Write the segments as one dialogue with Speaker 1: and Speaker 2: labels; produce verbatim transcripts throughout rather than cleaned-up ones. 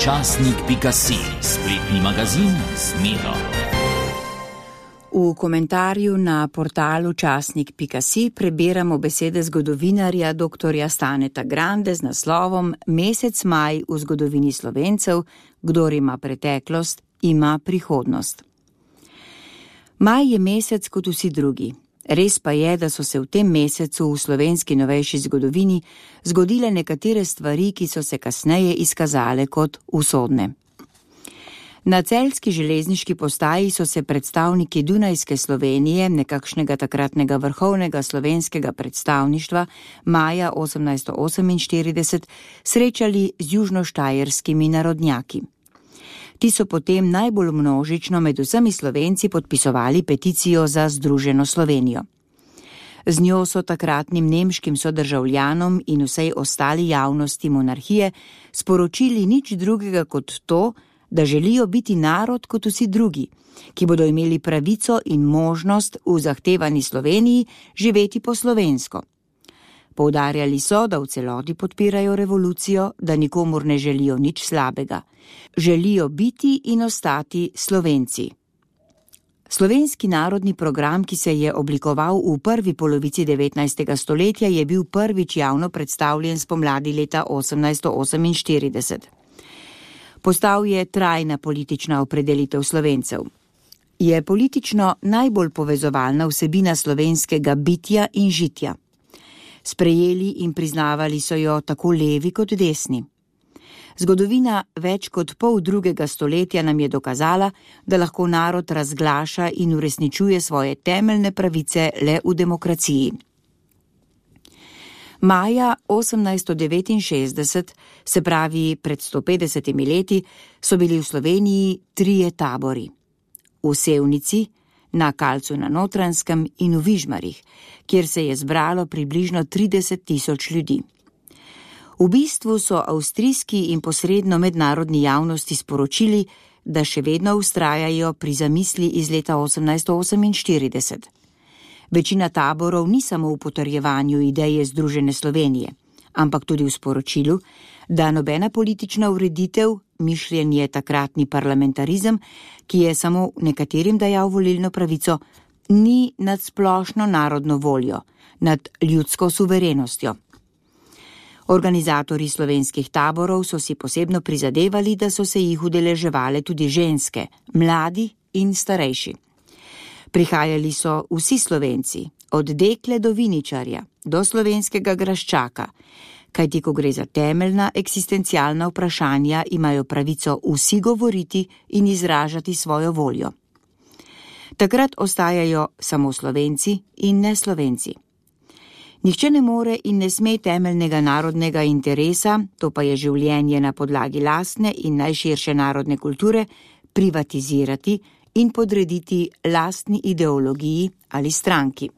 Speaker 1: časnik pika si, spletni magazin z Miro.
Speaker 2: V komentarju na portalu časnik pika si prebiramo besede zgodovinarja doktorja Staneta Grande z naslovom Mesec maj v zgodovini Slovencev, kdor ima preteklost, ima prihodnost. Maj je mesec kot vsi drugi. Res pa je, da so se v tem mesecu v slovenski novejši zgodovini zgodile nekatere stvari, ki so se kasneje izkazale kot usodne. Na celjski železniški postaji so se predstavniki Dunajske Slovenije, nekakšnega takratnega vrhovnega slovenskega predstavništva, maja osemnajststo oseminštirideset, srečali z južnoštajerskimi narodnjaki. Ti so potem najbolj množično med vsemi Slovenci podpisovali peticijo za združeno Slovenijo. Z njo so takratnim nemškim sodržavljanom in vsej ostali javnosti monarhije sporočili nič drugega kot to, da želijo biti narod kot vsi drugi, ki bodo imeli pravico in možnost v zahtevani Sloveniji živeti po slovensko. Poudarjali so, da v celoti podpirajo revolucijo, da nikomur ne želijo nič slabega. Želijo biti in ostati Slovenci. Slovenski narodni program, ki se je oblikoval v prvi polovici devetnajstega stoletja, je bil prvič javno predstavljen spomladi leta osemnajststo oseminštirideset. Postal je trajna politična opredelitev Slovencev. Je politično najbolj povezovalna vsebina slovenskega bitja in žitja. Sprejeli in priznavali so jo tako levi kot desni. Zgodovina več kot pol drugega stoletja nam je dokazala, da lahko narod razglaša in uresničuje svoje temeljne pravice le v demokraciji. Maja osemnajststo devetinšestdeset, se pravi pred sto petdesetimi leti, so bili v Sloveniji trije tabori. V Sevnici, na Kalcu na Notranjskem in v Vižmarjih, kjer se je zbralo približno trideset tisoč ljudi. V bistvu so avstrijski in posredno mednarodni javnosti sporočili, da še vedno vztrajajo pri zamisli iz leta osemnajststo oseminštirideset. Večina taborov ni samo v potrjevanju ideje združene Slovenije, ampak tudi v sporočilu, da nobena politična ureditev, mišljen je takratni parlamentarizem, ki je samo nekaterim dajal volilno pravico, ni nad splošno narodno voljo, nad ljudsko suverenostjo. Organizatorji slovenskih taborov so si posebno prizadevali, da so se jih udeleževale tudi ženske, mladi in starejši. Prihajali so vsi Slovenci, od dekle do viničarja, do slovenskega graščaka, kajti ko gre za temeljna eksistencialna vprašanja, imajo pravico vsi govoriti in izražati svojo voljo. Takrat ostajajo samo Slovenci in ne Slovenci. Nihče ne more in ne sme temeljnega narodnega interesa, to pa je življenje na podlagi lastne in najširše narodne kulture, privatizirati in podrediti lastni ideologiji ali stranki.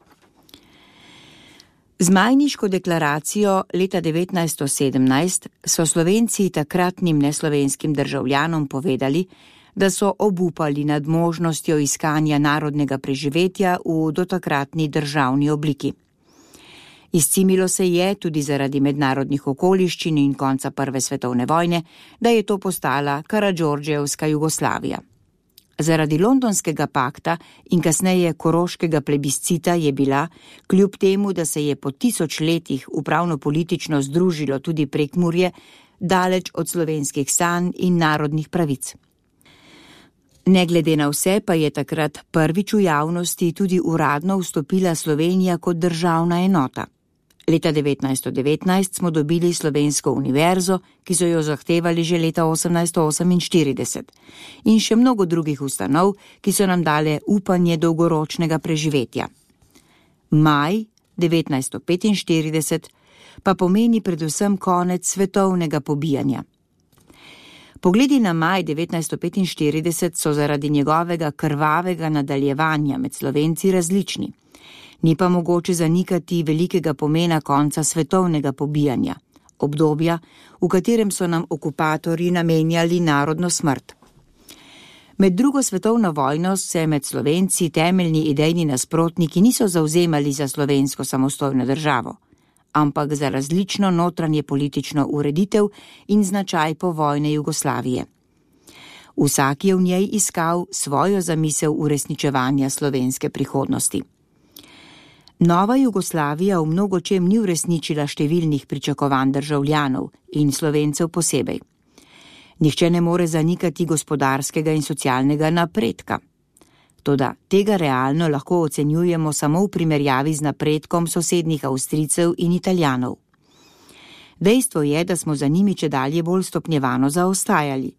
Speaker 2: Z Majniško deklaracijo leta devetnajststo sedemnajst so Slovenci takratnim neslovenskim državljanom povedali, da so obupali nad možnostjo iskanja narodnega preživetja v dotakratni državni obliki. Izcimilo se je tudi zaradi mednarodnih okoliščin in konca prve svetovne vojne, da je to postala Karadžordževska Jugoslavija. Zaradi Londonskega pakta in kasneje Koroškega plebiscita je bila, kljub temu, da se je po tisoč letih upravno-politično združilo tudi Prekmurje, daleč od slovenskih sanj in narodnih pravic. Ne glede na vse pa je takrat prvič v javnosti tudi uradno vstopila Slovenija kot državna enota. Leta devetnajststo devetnajst smo dobili Slovensko univerzo, ki so jo zahtevali že leta osemnajststo oseminštirideset, in še mnogo drugih ustanov, ki so nam dale upanje dolgoročnega preživetja. Maj devetnajststo petinštirideset pa pomeni predvsem konec svetovnega pobijanja. Pogledi na maj devetnajststo petinštirideset so zaradi njegovega krvavega nadaljevanja med Slovenci različni. Ni pa mogoče zanikati velikega pomena konca svetovnega pobijanja, obdobja, v katerem so nam okupatorji namenjali narodno smrt. Med drugo svetovno vojno se med Slovenci temeljni idejni nasprotniki niso zavzemali za slovensko samostojno državo, ampak za različno notranje politično ureditev in značaj povojne Jugoslavije. Vsak je v njej iskal svojo zamisel uresničevanja slovenske prihodnosti. Nova Jugoslavija v mnogočem ni uresničila številnih pričakovanj državljanov in Slovencev posebej. Nihče ne more zanikati gospodarskega in socialnega napredka. Toda tega realno lahko ocenjujemo samo v primerjavi z napredkom sosednjih Avstrijcev in Italijanov. Dejstvo je, da smo za njimi čedalje bolj stopnjevano zaostajali.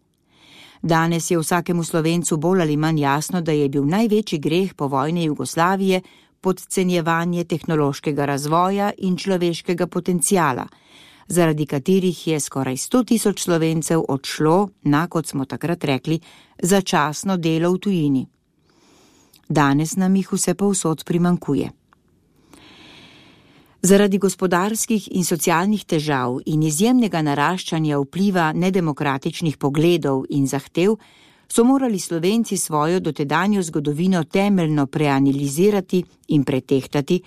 Speaker 2: Danes je vsakemu Slovencu bolj ali manj jasno, da je bil največji greh povojne Jugoslavije podcenjevanje tehnološkega razvoja in človeškega potenciala, zaradi katerih je skoraj sto tisoč Slovencev odšlo na, kot smo takrat rekli, začasno delo v tujini. Danes nam jih vse povsod primanjkuje. Zaradi gospodarskih in socialnih težav in izjemnega naraščanja vpliva nedemokratičnih pogledov in zahtev so morali Slovenci svojo dotedanjo zgodovino temeljno preanalizirati in pretehtati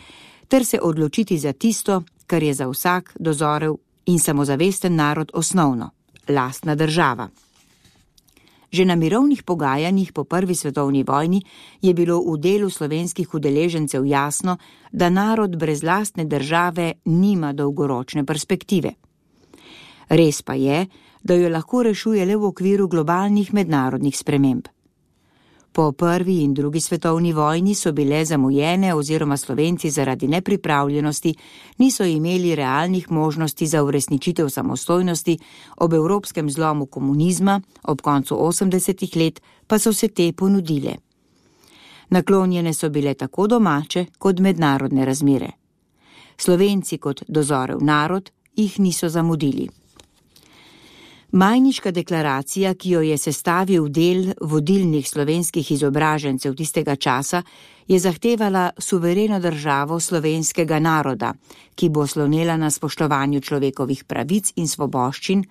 Speaker 2: ter se odločiti za tisto, kar je za vsak dozorel in samozavesten narod osnovno, lastna država. Že na mirovnih pogajanjih po prvi svetovni vojni je bilo v delu slovenskih udeležencev jasno, da narod brez lastne države nima dolgoročne perspektive. Res pa je, da jo lahko rešuje le v okviru globalnih mednarodnih sprememb. Po prvi in drugi svetovni vojni so bile zamujene oziroma Slovenci zaradi nepripravljenosti niso imeli realnih možnosti za uresničitev samostojnosti, ob evropskem zlomu komunizma, ob koncu osemdesetih let pa so se te ponudile. Naklonjene so bile tako domače kot mednarodne razmere. Slovenci kot dozorel narod jih niso zamudili. Majniška deklaracija, ki jo je sestavil del vodilnih slovenskih izobražencev tistega časa, je zahtevala suvereno državo slovenskega naroda, ki bo slonela na spoštovanju človekovih pravic in svoboščin,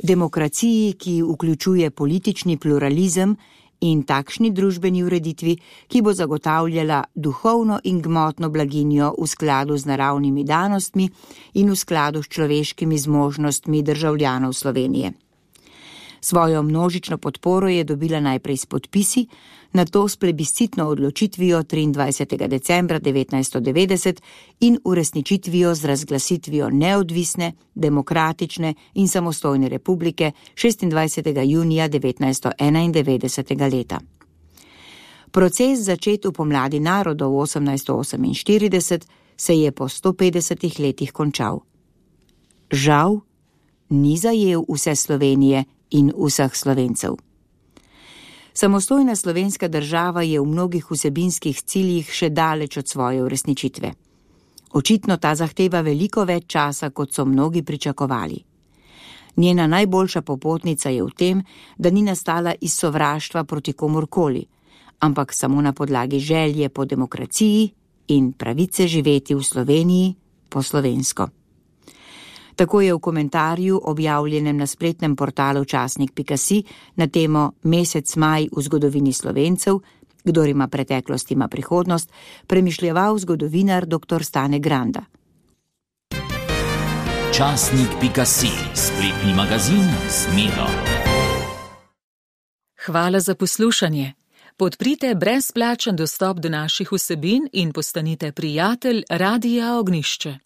Speaker 2: demokraciji, ki vključuje politični pluralizem in takšni družbeni ureditvi, ki bo zagotavljala duhovno in gmotno blaginjo v skladu z naravnimi danostmi in v skladu s človeškimi zmožnostmi državljanov Slovenije. Svojo množično podporo je dobila najprej s podpisi, nato s plebiscitno odločitvijo triindvajsetega decembra devetnajststo devetdeset in uresničitvijo z razglasitvijo neodvisne, demokratične in samostojne republike šestindvajsetega junija devetnajststo enaindevetdesetega leta. Proces, začet v pomladi narodov osemnajststo oseminštirideset, se je po sto petdesetih letih končal. Žal, ni zajel vse Slovenije in vseh Slovencev. Samostojna slovenska država je v mnogih vsebinskih ciljih še daleč od svoje uresničitve. Očitno ta zahteva veliko več časa, kot so mnogi pričakovali. Njena najboljša popotnica je v tem, da ni nastala iz sovraštva proti komurkoli, ampak samo na podlagi želje po demokraciji in pravice živeti v Sloveniji po slovensko. Tako je v komentarju, objavljenem na spletnem portalu časnik pika si, na temo Mesec maj v zgodovini Slovencev, kdor ima preteklost, ima prihodnost, premišljeval zgodovinar doktor Stane Granda.
Speaker 1: Časnik pika si, spletni magazin z Miro.
Speaker 3: Hvala za poslušanje. Podprite brezplačen dostop do naših vsebin in postanite prijatelj Radia Ognišče.